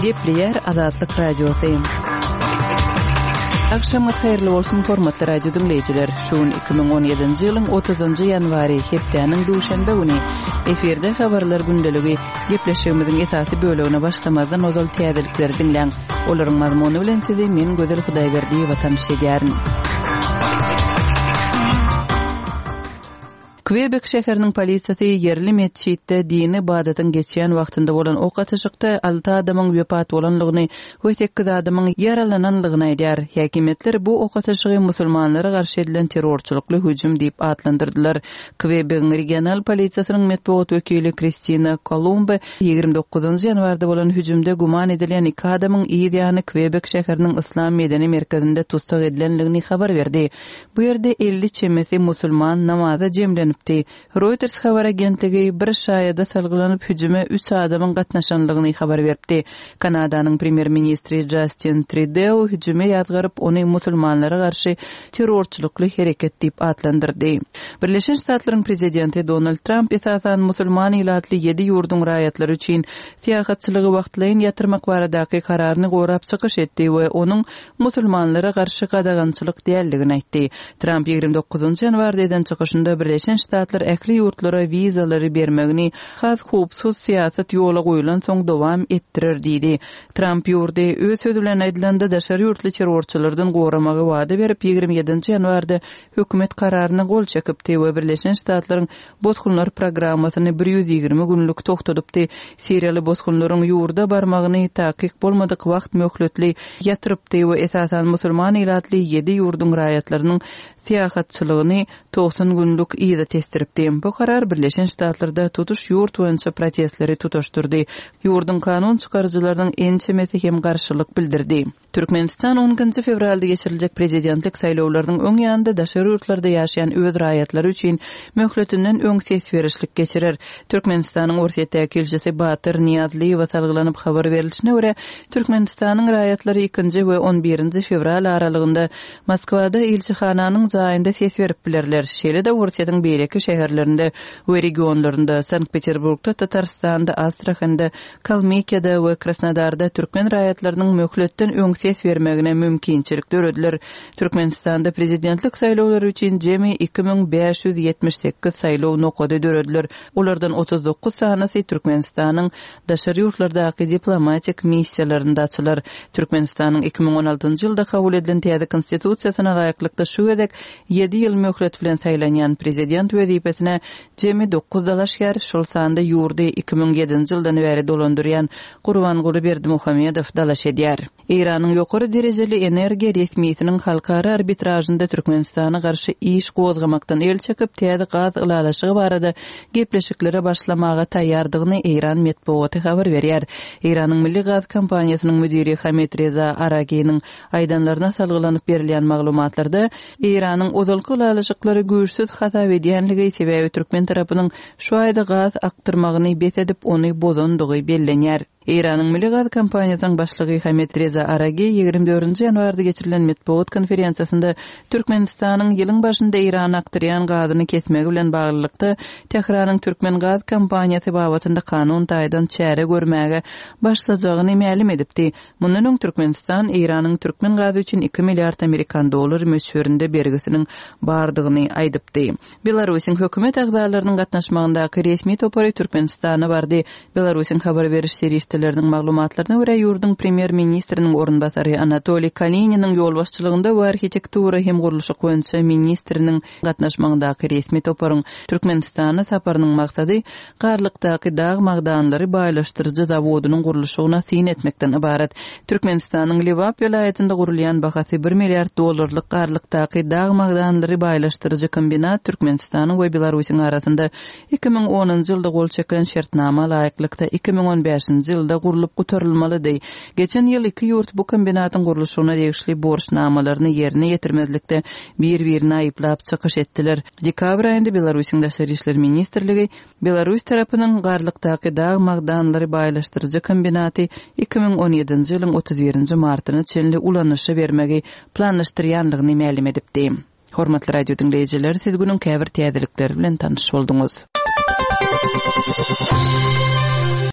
Gepleýär Azatlyk Radiosy. Agşamyňyz haýyrly bolsun, hormatly radio diňleýjiler! Şu gün 2017-nji ýylyň 30-njy ýanwary, hepdäniň duşenbe güni. Efirde Habarlar gündeligi. Gepleşigimiziň esasy bölegine başlamazdan ozal täzelikleri diňläň. Olaryň mazmuny bilen sizi men Gözel Hudaýberdiýewa tanyş edýärin. Kwebek şäheriniň polisiýasy ýerli metjitde dini ybadatyň geçýän wagtynda bolan ok atyşykda alty adamyň wepat bolanlygyny we sekiz adamyň ýaralananlygyny aýdýar. Häkimiýetler bu ok atyşygy musulmanlara garşy edilen terrorçylykly hüjüm diýip atlandyrdylar. Kwebegiň regional polisiýasynyň metbugat wekili Kristina Kolumbe 29 ýanwarda bolan hüjümde güman edilýän iki adamyň yz ýany Kwebek şäheriniň Yslam medeni merkezinde tussag edilenligini habar berdi. Bu ýerde 50 çemesi musulman namaza jemlenipdi. Reuters habar agentligi bir şaýada salgylanyp, hüjüme üç adamyň gatnaşanlygyny habar beripdi. Kanadanyň premýer-ministri Jastin Trideo hüjümi ýazgaryp, ony musulmanlara garşy terrorçylykly hereket diýip atlandyrdy. Birleşen Ştatlaryň prezidenti Donald Tramp esasan musulman ilatly ýedi ýurduň raýatlary üçin syýahatçylygy wagtlaýyn ýatyrmak baradaky kararyny gorap çykyş etdi we onuň musulmanlara garşy gadagançylyk däldigini aýtdy. Tramp 29 ýanwarda eden çykyşynda Birleşen Ştatlar ähli ýurtlara wizalary bermegini has howpsuz syýasat ýola goýlansoň dowam etdirer diýdi. Tramp ýurdy, öz sözi bilen aýdylanda, daşary ýurtly terrorçylardan goramagy wada berip, 27 ýanwarda hökümet kararyna gol çekipdi we Birleşen Ştatlaryň bosgunlar programmasyny 120 günlük togtadypdy, siriýaly bosgunlaryň ýurda barmagyny takyk bolmadyk wagt möhletli ýatyrypdy we esasan musulman ilatly ýedi ýurduň raýatlarynyň syýahatçylygyny 90 günlük yza tesdiripdi. Bu karar Birleşen Ştatlarda tutuş ýurt boýunça protestleri tutaşdyrdy. Ýurduň kanun çykaryjylarynyň ençemesi hem garşylyk bildirdi. Türkmenistan on ikinji fewralda geçiriljek prezidentlik saýlawlarynyň öň ýanynda daşary ýurtlarda ýaşaýan öz raýatlary üçin möhletinden öň ses berişlik geçirer. Türkmenistanyň Orsýetdäki ilçisi Batyr Nyýazlyýewe salgylanyp habar berilişine görä, Türkmenistanyň raýatlary ikinji we on birinji fewral aralygynda Moskwada ilçihananyň jaýynda ses berip bilerler. Şeýle-de Orsýetiň beýleki şäherlerinde we regionlarynda, Sankt-Peterburgda, Tatarystanda, Astrahanda, Kalmykiýada we Krasnodarda türkmen raýatlarynyň möhletden öň ses bermegine mümkinçilik dörediler. Türkmenistanda prezidentlik saýlawlary üçin jemi 2578 saýlaw nokady dörediler. Olardan 39 sanysy Türkmenistanyň daşary ýurtlardaky diplomatik missiýalarynda açylar. Türkmenistanyň 2016-njy ýylda kabul edilen täze Konstitusiýasyna laýyklykda şu gezek ýedi ýyl möhlet bilen saýlanýan prezident wezipesine Jemi dokuz dalaşgär, şol sanda ýurdy 2007-nji ýyldan bäri dolandyrýan Gurbanguly Berdimuhamedow dalaş edýär. Eýranyň ýokary derejeli energiýa resmisiniň halkara arbitražynda Türkmenistana garşy iş gozgamakdan el çekip, täze gaz ylalaşygy barada gepleşiklere başlamaga taýýardygyny eýran metbugaty habar berýär. Eýranyň Milli gaz kompaniýasynyň müdiri Hamid Reza Araginiň aýdanlaryna salgylanyp berilýän maglumatlarda, Eýranyň ozalky ylalaşyklary güýçsüz hasap edýänligi, sebäbi türkmen tarapynyň şu aýda gaz akdyrmagyny bes edip, ony bozandygy bellenýär. Eýranyň Milli gaz kompaniýasynyň başlygy Hamid Reza Aragi 24 ýanwarda geçirilen metbugat konferensiýasynda Türkmenistanyň ýylyň başynda Eýrana akdyrýan gazyny kesmegi bilen baglylykda Tähranyň Türkmen gaz kompaniýasy babatynda kanun taýdan çäre görmäge başlajagyny mälim edipdi. Mundan öň Türkmenistan Eýranyň türkmen gazy üçin iki milliard amerikan dollary möçberinde bergisiniň bardygyny aýdypdy. Belarusyň hökümet agzalarynyň gatnaşmagyndaky resmi topary Türkmenistana bardy. Belarusyň habar beriş serişdeleriniň maglumatlaryna görä, ýurduň premýer-ministriniň orunbasary Anatoliý Kalininiň ýolbaşçylygynda we arhitektura hem gurluşyk boýunça ministriniň gatnaşmagyndaky resmi toparyň Türkmenistana saparynyň maksady Garlykdaky dag magdanlary baýlaşdyryjy zawodynyň gurluşygyna syn etmekden ybarat. Türkmenistanyň Lebap welaýatynda gurulýan bahasy bir milliard dollarlyk Garlykdaky dag magdanlary baýlaşdyryjy kombinat Türkmenistanyň we Belarusyň arasynda 2010-njy ýylda gol çekilen şertnama laýyklykda 2015-nji ýylda gurlup gutarylmalydy. Geçen ýyl iki ýurt bu kombinatyň gurluşygyna degişli borçnamalaryny ýerine ýetirmezlikde bir-birini aýyplap çykyş etdiler. Dekabr aýynda Belarusyň Daşary işler ministrligi Belarus tarapynyň Garlykdaky dag magdanlary baýlaşdyryjy kombinaty 2017-nji ýylyň 31-nji martyna çenli ulanyşa bermegi planlaşdyrýanlygyny mälim edipdi. Hormatly radio diňleýjiler, siz günüň käbir täzelikleri bilen tanyş bolduňyz.